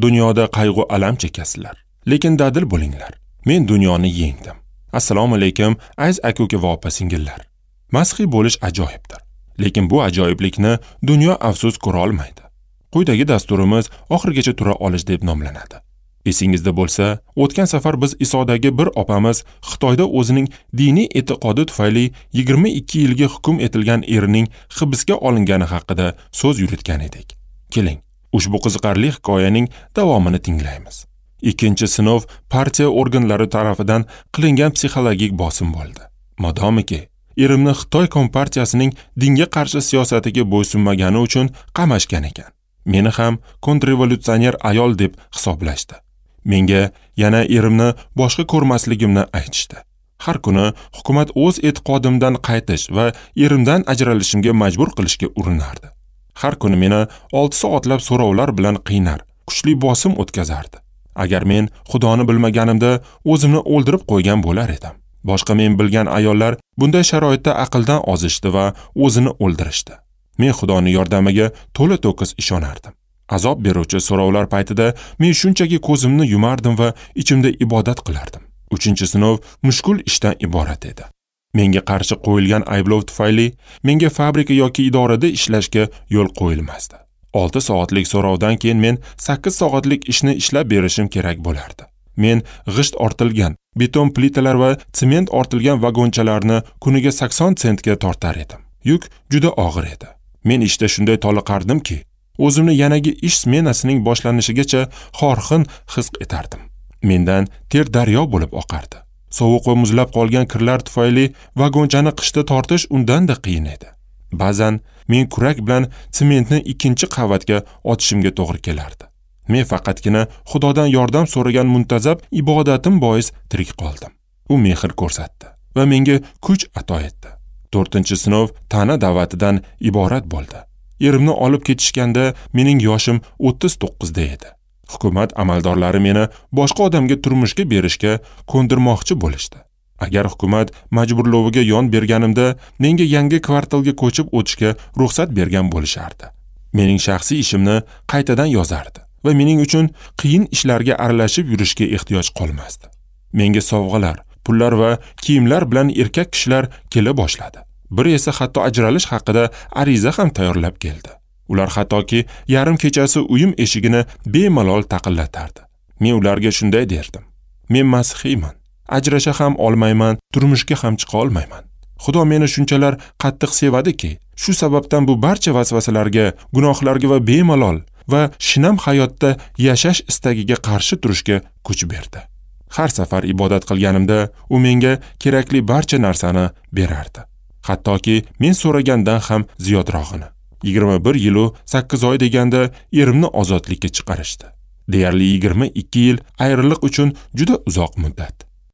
Dunyoda qayg'u alam chekasizlar, lekin dadil bo'linglar. Men dunyoni yengdim. Assalomu alaykum, aziz aka-uka va opa-singillar. Masihiy bo'lish ajoyibdir, lekin bu ajoyiblikni dunyo afsus ko'ra olmaydi. Quyidagi dasturimiz oxirigacha tura olish deb nomlanadi. Esingizda bo'lsa, o'tgan safar biz Isodagi bir opamiz Xitoyda o'zining diniy e'tiqodi tufayli 22 yilga hukm etilgan erining hibsga olingani haqida so'z yuritgan edik. Keling, ushbu qiziqarli hikoyaning davomini tinglaymiz. Ikkinchi sinov partiya organlari tarafidan qilingan psixologik bosim bo'ldi. Modomiki, erimni Xitoy kompartiyasining dinga qarshi siyosatiga bo'ysunmagani uchun qamashgan ekan. Meni ham kontrrevolyutsioner ayol deb hisoblashdi. Menga yana erimni boshqa ko'rmasligimni aytishdi. Har kuni hukumat o'z e'tiqodimdan qaytish va erimdan ajralishimga majbur qilishga urinardi. Har kuni meni 6 soatlab so'rovlar bilan qiynar, kuchli bosim o'tkazardi. Agar men Xudoni bilmaganimda o'zimni o'ldirib qo'ygan bo'lar edim. Boshqa men bilgan ayollar bunday sharoitda aqldan ozishdi va o'zini o'ldirishdi. Men Xudoning yordamiga to'la-to'kis ishonardim. Azob beruvchi so'rovlar paytida men shunchaki ko'zimni yumardim va ichimda ibodat qilardim. 3-sinov mushkul ishdan iborat edi. Menga qarshi qo'yilgan ayblov tufayli menga fabrika yoki idorada ishlashga yo'l qo'yilmasdi. 6 soatlik so'rovdan keyin men 8 soatlik ishni ishlab berishim kerak bo'lardi. Men g'isht ortilgan, beton plitalar va sement ortilgan vagonchalarni kuniga 80 sentga tortar edim. Yuk juda og'ir edi. Men ishda shunday toliqardimki, o'zimni yanagi ish smenasining boshlanishigacha xorxin his etardim. Mendan ter daryo bo'lib oqardi. Sovuq va muzlab qolgan kirlar tufayli vagonchani qishda tortish undan-da qiyin edi. Ba'zan men kurak bilan sementni 2-chi qavatga otishimga to'g'ri kelardi. Men faqatgina Xudodan yordam so'ragan muntazam ibodatim bois tirik qoldim. U mehr ko'rsatdi va menga kuch ato etdi. 4-sinov ta'na da'vatidan iborat bo'ldi. Erimni olib ketishganda mening yoshim 39 da edi. Hukumat amaldorlari meni boshqa odamga turmushga berishga ko'ndirmoqchi bo'lishdi. Agar hukumat majburloviga yon berganimda menga yangi kvartalga ko'chib o'tishga ruxsat bergan bo'lishardi. Mening shaxsiy ishimni qaytadan yozardi va mening uchun qiyin ishlarga aralashib yurishga ehtiyoj qolmasdi. Menga sovg'alar, pullar va kiyimlar bilan erkak kishilar kela boshladi. Bir esa hatto ajralish haqida ariza ham tayyorlab keldi. Ular hattoki yarim kechasi uyim eshigini bemalol taqillatardi. Men ularga shunday derdim: Men masihiyman. Ajrasha ham olmayman, turmushga ham chiqa olmayman. Xudo meni shunchalar qattiq sevadiki, shu sababdan bu barcha vasvasalarga, gunohlarga va bemalol va shinam hayotda yashash istagiga qarshi turishga kuch berdi. Har safar ibodat qilganimda u menga kerakli barcha narsani berardi. Hattoki men so'ragandan ham ziyodrog'ini. 21 yil 8 oy deganda erimni ozodlikka chiqarishdi. Deyarli 22 yil ayriliq uchun juda uzoq muddat.